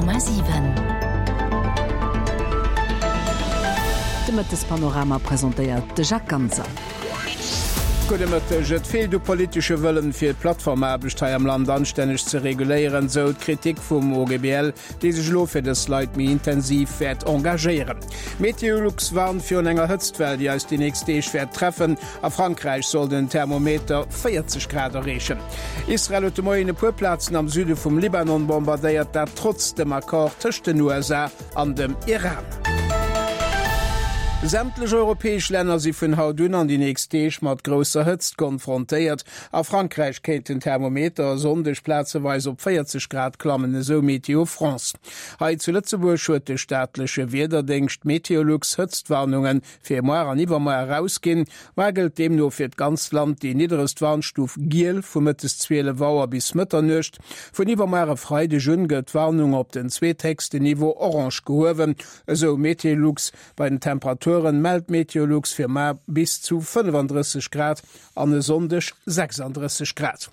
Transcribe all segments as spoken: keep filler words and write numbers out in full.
Honnert Komma siwen. De Mëttespanorama presentéiert de Jacques Ganser. Gudde Mëtteg. Et feelt u politesche Wëllen, fir d'Plattformaarbecht hei am Land anstänneg ze reguléieren, sou d'Kritik vum OGBL, dee sech elo fir dës Leit méi intensiv wäert engagéieren. Meteolux warnt virun enger Hëtztwell, déi eis déi nächst Deeg wäert treffen. A Frankräich soll den Thermometer véierzeg Grad erreechen. Israel huet de Moien e puer Plazen am Süde vum Libanon bombardéiert, dat trotz dem Accord tëscht den U S A an dem Iran. Sämtlech europäesch Länner si vun haut un an déi nächst Deeg mat grousser Hëtzt konfrontéiert. A Frankräich kéint den Thermometer e Sonndeg plazeweis op véierzeg Grad klammen, esou Météo France. Hei zu Lëtzebuerg huet de staatleche Wiederdéngscht Meteolux Hëtztwarnunge fir muar an iwwermuar erausginn. Muar gëllt deemno fir d'ganzt Land déi nidderegst Warnstuf giel vu mëttes zwielef Auer bis Mëtternuecht. Vun iwwermuar e Freideg un gëtt d'Warnung op den zweethéchsten Niveau orange gehuewen, esou Meteolux. Bei den Temperaturen mellt Meteolux fir mar bis zu fënnefandrësseg Grad an e Sonndeg sechsandrësseg Grad.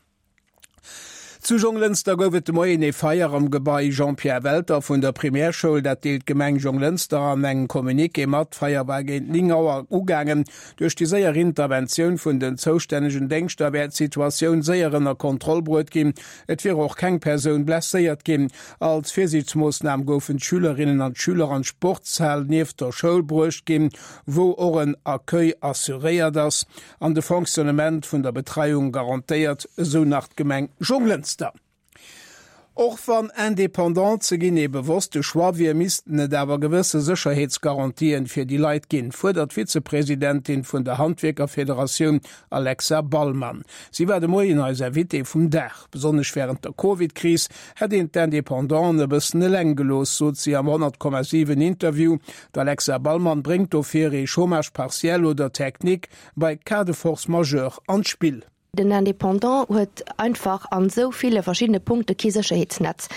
Zu Jonglënster gouf et de Moien ee Feier am Gebai Jean-Pierre Welter vun der Primärschoul. Dat deelt d'Gemeng Jonglënster an engem Communiqué mat. D'Feier war géint néng Auer ugaangen. Duerch déi séier Interventioun vun den zoustännegen Déngschter wär d'Situatioun séier ënner Kontroll bruet ginn. Et wier och keng Persoun blesséiert ginn. Als Virsiichtsmoossnam goufen d'Schülerinnen an d'Schüler an d'Sportshal nieft der Schoul bruecht ginn, wou och en Accueil assuréiert ass an de Fonctionnement vun der Betreiung garantéiert, esou nach d'Gemeng Jonglënster. Och wann indépendant ze ginn ee bewosste Choix wier, missten et awer gewësse Sécherheetsgarantien fir déi Leit ginn, fuerdert d'Vizepresidentin vun der Handwierkerfederatioun Alexa Ballmann. Si war de Moien eis Invitée vum Dag. Besonnesch wärend der Covid-Kris hätt een d'Indépendanten e bëssen eleng gelooss, sot si am honnert Komma siwen Interview. D'Alexa Ballmann bréngt dofir ee Chômage partiel oder technique bei Cas de force majeure an d'Spill. Den Indépendant huet einfach an esou ville verschiddene Punkte kee Sécherheetsnetz.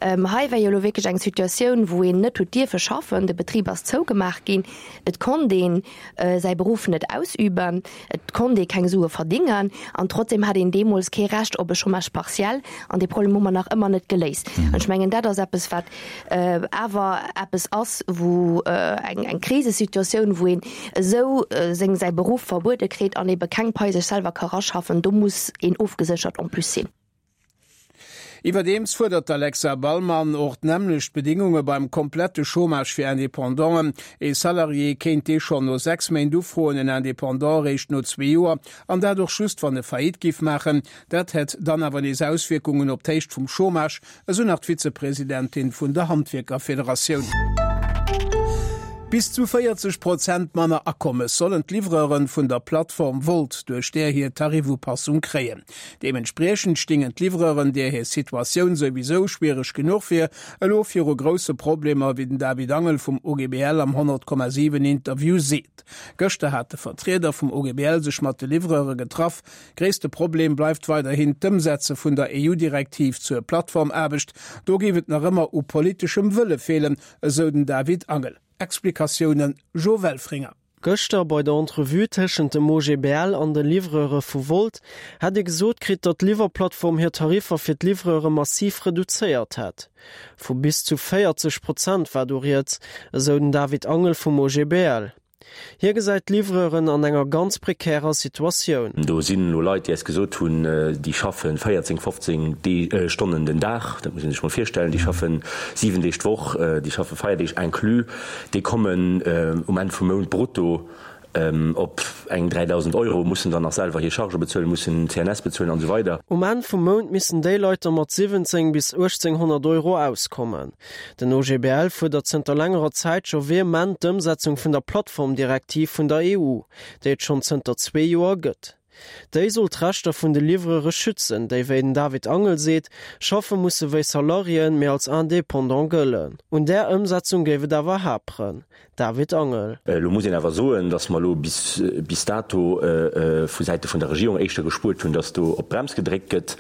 Ähm, hei war jo elo wierklech eng Situatioun, wou een net huet dierfe schaffen, de Betrib ass zougemaach ginn, et konnt een, äh, säi Beruff net ausüben, et konnt ee keng Sue verdingen an trotzdem hat een deemools kee Recht op e Chômage partiel an dee Problem hu mer nach ëmmer net geléist. An ech mengen, dat ass eppes, wat, äh, awer eppes ass, wou, äh, eng, eng Krisesituatioun, wou een esou, äh, seng, säi Beruff verbuede kritt an ebe keng Pai sech selwer ka raschaffen, do muss een ofgeséchert en plus sinn. Iwwerdeems fuerdert d'Alexa Ballmann och d'nämmlecht Bedingunge beim komplette Chômage fir Indépendanten. E Salarié kéint dee schonn no sechs Méint ufroen, en Indépendant eréischt no zwee Joer, an dat och just, wann e Faillite giff maachen. Dat hätt dann awer nees Auswierkungen op d'Héicht vum Chômage, esou nach d'Vizepresidentin vun der Handwierkerfederatioun. Bis zu véierzeg Prozent manner Akommes sollen d'Livreuren vun der Plattform Wolt duerch där hir Tarifupassung kréien. Deementspriechend stingen d'Livreuren, där hir Situatioun souwisou schwiereg genuch wier, elo viru grousse Problemer, wéi den David Angel vum O G B L am honnert Komma siwen Interview seet. Gëschter hat de Vertrieder vum O G B L sech mat de Livreure getraff. Gréisste Problem bleift weiderhin d'Ëmsetze vun der E U-Direktiv zur Plattformaarbecht. Do géif et nach ëmmer u politeschem Wëlle feelen, esou den David Angel. Explikatiounen Jo Welfringer. Gëschter bei der Entrevue tëschent dem O G B L an de Livreure vu Wolt hätt e gesot kritt, datt d'Liwwerplattform hir Tariffer fir d'Livreure massiv reduzéiert hätt. Vu bis zu véierzeg Prozent war do rieds, esou den David Angel vum O G B L. Hie gesäit d'Livreuren an enger ganz prekärer Situatioun. Do sinn elo Leit, déi eis gesot hunn, déi schaffen véierzéng, fofzéng Dee-, äh, Stonnen den Dag, dat muss een sech mol virstellen, déi schaffen siwen Deeg d'Woch, äh, déi schaffe Feierdeeg inclus, déi kommen, äh, um Enn vum Mount brutto, ähm, op eng dräidausend Euro, mussen dann nach selwer hir Charge bezuelen, mussen C N S bezuelen an so weider. Um Enn vum Mount missen déi Leit da mat siwwenzéng bis uechtzénghonnert Euro auskommen. Den O G B L fuerdert zënter längerer Zäit scho vehement d'Ëmsetzung vun der Plattformdirektiv vun der E U, déi et schonn zënter zwee Joer gëtt. Déi soll d'Rechter vun de Livreure schützen, déi, wéi den David Angel seet, schaffe musse wéi Salariéen, mee als Indépendant gëllen. Un där Ëmsetzung géif et awer haperen. David Angel. Elo muss een awer soen, datt mer elo bis bis dato vu Säite vun der Regierung éischter gespuert hunn, datt do op d'Brems gedréckt gëtt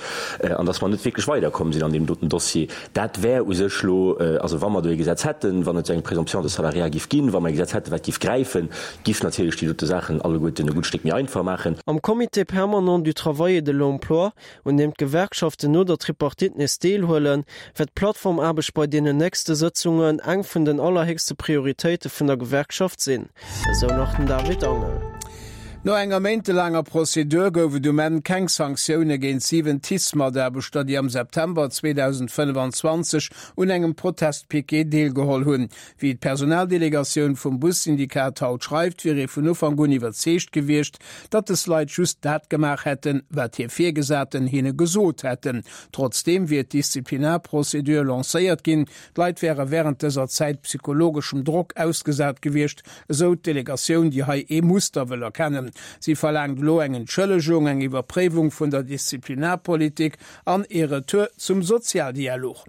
an datt mer net wierklech weiderkomm sinn an deem doten Dossier. Dat wär u sech elo, also wa mer do ee Gesetz hätten, wann et esou eng Présomption de salariat giff ginn, wa mer ee Gesetz hätten, wat giff gräifen, giff natierlech déi dote Saachen alleguerten e gutt Stéck méi einfach maachen. Am Comité permanent du travail et de l'emploi, un deem d'Gewerkschaften no der Tripartite nees deelhuelen, wäert d'Plattformaarbecht bei deenen nächste Sëtzungen eng vun den allerhéchste Prioritéite vun der Gewerkschaft sinn, esou nach den David Angel. No enger méintelaanger Prozedur gouf et um Enn keng Sanktioune géint siwen TICE-Mataarbechter, déi am September zweedausendfënnefanzwanzeg un engem Protestpiquet deelgeholl hunn. Wéi d'Personaldelegatioun vum Bussyndikat haut schreift, wier ee vun Ufank un iwwerzeegt gewiescht, datt des Leit just dat gemaach hätten, wat hir Virgesaten hinne gesot hätten. Trotzdeem wier d'Disziplinarprozedur lancéiert ginn. D'Leit wäre wärend dëser Zäit psychologeschem Drock ausgesat gewiescht, esou d'Delegatioun, déi hei ee Muster wëll erkennen. Si verlaangt elo eng Entschëllegung, eng Iwwerpréiwung vun der Disziplinarpolitik an ee Retour zum Sozialdialog.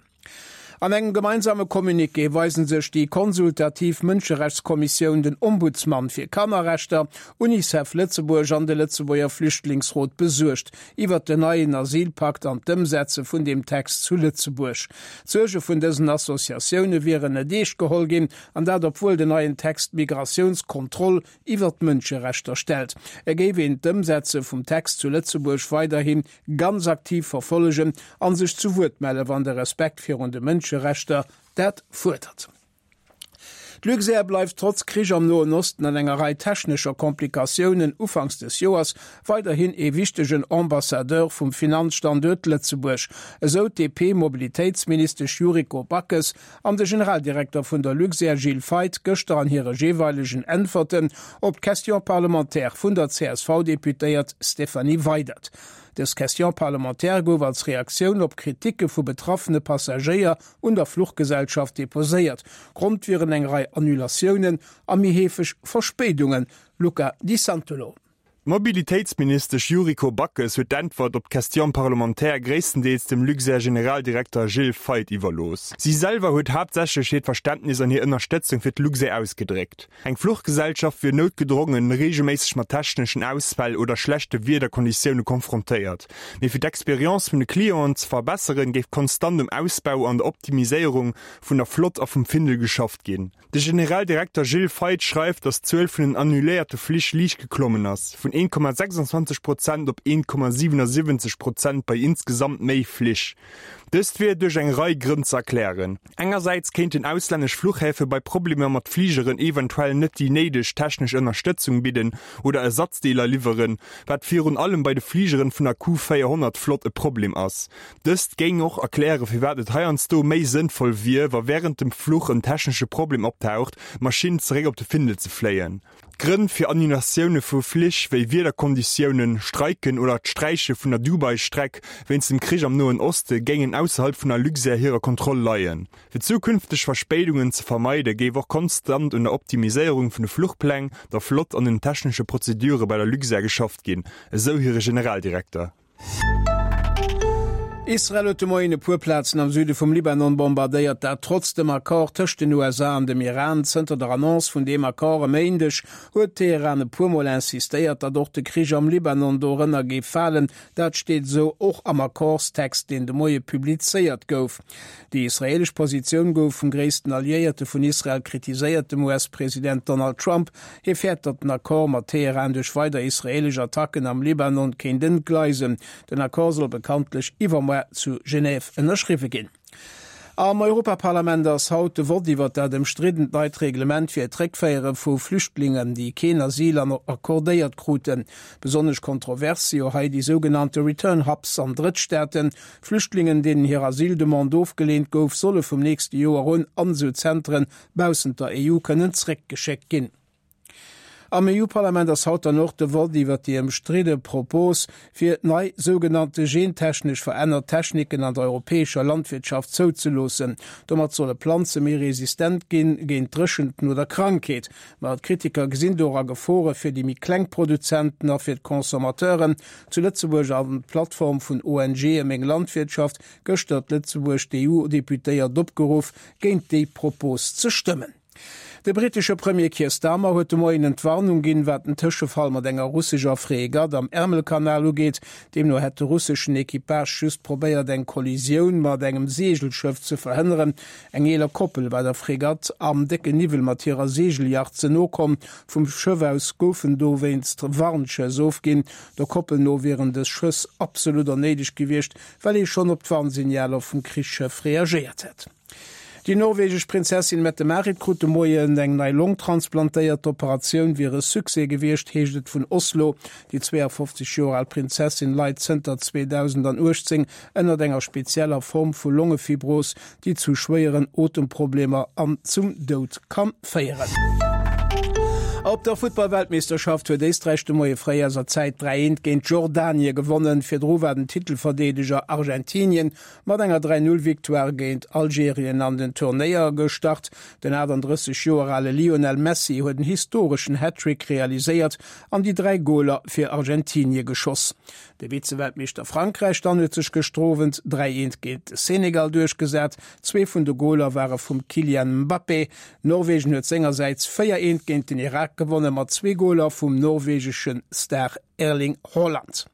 An engem gemeinsame Communiqué weisen sech déi konsultativ Mënscherechtskommissioun, den Ombudsman fir Kannerrechter, Unicef Lëtzebuerg an de Lëtzebuerger Flüchtlingsrot besuergt iwwert den neien Asylpakt an d'Ëmsetze vun deem Text zu Lëtzebuerg. D'Suerge vun dësen Associatioune wieren net eescht geholl ginn, an dat obwuel den neien Text d'Migratiounskontroll iwwer d'Mënscherechter stellt. Et géif een d'Ëmsetze vum Text zu Lëtzebuerg weiderhi ganz aktiv verfollegen a sech zu Wuert melle wann de Respekt virun de Mënscherechter dat fuerdert. D'Luxair bleift trotz Krich am Noen Osten an enger Rei technescher Komplikatiounen ufanks des Joers weiderhin ee wichtegen Ambassadeur vum Finanzstanduert Lëtzebuerg, esou d'DP-Mobilitéitsministesch Yuriko Backes an de Generaldirekter vun der Luxair Gilles Feith gëschter an hire jeeweilegen Äntwerten op d'Question parlementaire vun der C S V-Deputéiert Stéphanie Weydert. Dës Question parlementaire gouf als Reaktioun op Kriticke vu betraffene Passagéier un der Fluchgesellschaft deposéiert. Grond wieren eng Rei Annulatiounen a méi heefeg Verspéidungen. Luca Di Santolo. D'Mobilitéitsministesch Yuriko Backes huet d'Äntwert op d'Question parlementaire gréisstendeels dem Luxair-Generaldirekter Gilles Feith iwwerlooss. Si selwer huet haaptsächlech hiert Verständnis an hir Ënnerstëtzung fir d'Luxair ausgedréckt. Eng Fluchgesellschaft wier noutgedrongen reegelméisseg mat techneschen Ausfäll oder schlechte Wiederkonditioune konfrontéiert. Mee fir d'Experience vun de Clienten ze verbesseren, géif konstant um Ausbau an der Optimiséierung vun der Flott a vum Findel geschafft ginn. De Generaldirekter Gilles Feith schreift, datt d'Zuel vun den annuléierte Flich liicht geklommen ass, vun een Komma sechsundzwanzeg Prozent op een Komma siwenundsiwwenzeg Prozent bei insgesamt méi Flich. Dëst wier duerch eng Rei Grënn ze erklären. Engersäits kéinten auslännesch Fluchhäfe bei Problemer mat Fligeren eventuell net déi néideg technesch Ënnerstëtzung bidden oder Ersatzdeeler liwweren, wat virun allem bei de Fligeren vun der Q véierhonnert Flott e Problem ass. Dëst géing och erklären, firwat et heiansdo méi sënnvoll wier, wa wärend dem Fluch en technesche Problem optaucht, d'Maschinn zeréck op de Findel ze fléien. Grënn fir Annulatioune vu Flich wéi Wiederkonditiounen, Streiken oder d'Sträiche vun der Dubai-Streck wéinst dem Krich am Noen Oste géingen ausserhalb vun der Luxair hirer Kontroll leien. Fir zukünfteg Verspéidungen ze vermeide géif och konstant un der Optimiséierung vun de Fluchpläng, der Flott an den technesche Prozedure bei der Luxair geschafft ginn, esou hire Generaldirekter. Israel huet de Moien e puer Plazen am Süde vum Libanon bombardéiert, dat trotz dem Accord tëscht den U S A an dem Iran. Zënter der Annonce vun deem Accord e Méindeg huet Teheran e puer Mol insistéiert, datt och de Krich am Libanon dorënner géif falen. Dat steet esou och am Accordstext, deen de Moie publizéiert gouf. Déi israeelesch Positioun gouf vum gréissten Alliéierte vun Israel kritiséiert, dem U S-President Donald Trump. Hie fäert, datt den Accord mat Teheran duerch weider israeelesch Attacken am Libanon kéint entgleisen. Den Accord soll bekanntlech iwwermuer zu Genève ënnerschriwwe ginn. Am Europaparlament ass haut de Vott iwwer dat ëmstriddent neit Reglement fir d'Réckféiere vu Flüchtlingen, déi keen Asyl accordéiert kruten. Besonnesch kontrovers si jo hei déi sougenannte Return Hubs an Drëttstaaten. Flüchtlingen, deenen hir Asyldemande ofgeleent gouf, solle vum nächste Joer un an esou Zentren baussent der E U kënnen zréckgeschéckt ginn. Am E U-Parlament ass haut dann och de Vott iwwer déi ëmstridde Propos, fir nei sougenannte gentechnesch verännert Techniken an der europäescher Landwirtschaft zouzeloossen. Domat solle Planze méi resistent ginn géint Dréchenten oder Krankheet. Ma d'Kritiker gesinn dora Gefore fir déi méi kleng Produzenten a fir d'Consommateuren. Zu Lëtzebuerg an d'Plattform vun O N G Meng Landwirtschaft gëschter d'Lëtzebuerg d'E U-Deputéiert opgeruff, géint déi Propos ze stëmmen. De brittesche Premier Keir Starmer huet de Moien Entwarnung ginn, wat den Tëschefall mat enger russescher Fregatt am Ärmelkanal ugeet. Deemno hätt de russeschen Equipage just probéiert, eng Kollisioun mat engem Seegelschëff ze verhënneren. Eng eeler Koppel war der Fregatt am décken Niwwel mat hirer Seegeljacht ze no komm. Vum Schëff aus goufen dowéinst Warnschëss ofginn. Der Koppel no wieren dës Schëss absolut onnéideg gewiescht, well ee schonn op d'Warnsignaler vum Krichsschëff reagéiert hätt. Déi norwegesch Prinzessin Mette-Marit krut de Moien eng nei Long transplantéiert. D'Operatioun wier e Succès gewiescht, heescht et vun Oslo. Déi zweeafofzeg Joer al Prinzessin leit zënter zweedausendauechtzéng ënnert enger spezieller Form vu Longefibros, déi zu schwéieren Otemproblemer an zum Doud ka féieren. Op der Futtball-Weltmeeschterschaft huet Éisträich de Moie fréi eiser Zäit dräi eent géint Jordanie gewonnen. Virdru war den Titelverdeedeger Argentinien mat enger dräi Null Victoire géint Algerien an den Turnéier gestart. Den achtandrësseg Joer ale Lionel Messi huet en historeschen Hattrick realiséiert an déi dräi Goler fir Argentinie geschoss. De Vize-Weltmeeschter Frankräich dann huet sech gëschter Owend dräi eent géint de Senegal duerchgesat. Zwee vun de Goler ware vum Kylian Mbappé. Norwegen huet sengersäits véier eent géint den Irak gewonne mat zwee Goler vum norwegesche Star Erling Haaland.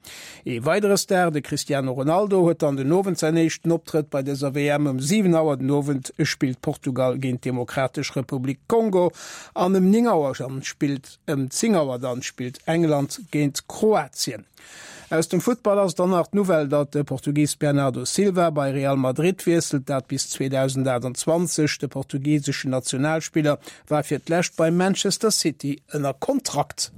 Ee weidere Star, de Cristiano Ronaldo, huet dann den Owend säin éischten Optrëtt bei dëser W M. Ëm siwen Auer den Owend spillt Portugal géint d'Demokratesch Republik Kongo an ëm néng Auer dann spillt ëm zéng Auer dann spillt England géint Kroatien. Aus dem Futtball ass dann nach d'Nouvelle, datt de Portugis Bernardo Silva bei Real Madrid wiesselt, dat bis zweedausendachtundzwanzeg. De portugiseschen Nationalspiller war fir d'lescht bei Manchester City ënner Kontrakt.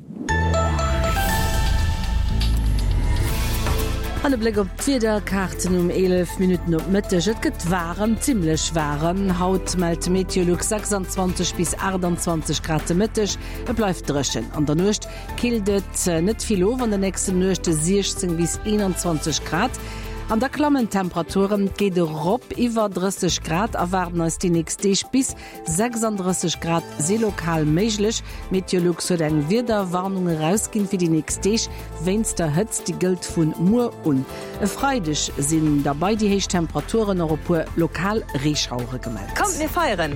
An e Bléck op d'Wiederkaarten um eelef Minutten op Mëtteg, Et gëtt waarem, zimmlech waarem. Haut mellt Meteolux sechsandzwanzeg bis achtandzwanzeg Grad de Mëtteg. Et bleift dréchen. An der Nuecht killt et net vill of, an den nächsten Nuechte siechzéng bis eenanzwanzeg Grad. An da klammen d'Temperaturen, et geet erop, iwwer drësseg Grad erwaarden eis déi nächst Deeg, bis sechsanddrësseg Grad si lokal méiglech. Meteolux huet eng Wiederwarnung erausginn fir déi nächst Deeg wéinst der Hëtzt, déi gëllt vun muer un. E Freideg sinn da bei déi héich Temperaturen och e puer lokal Reeschauere gemellt. Kommt mir feieren!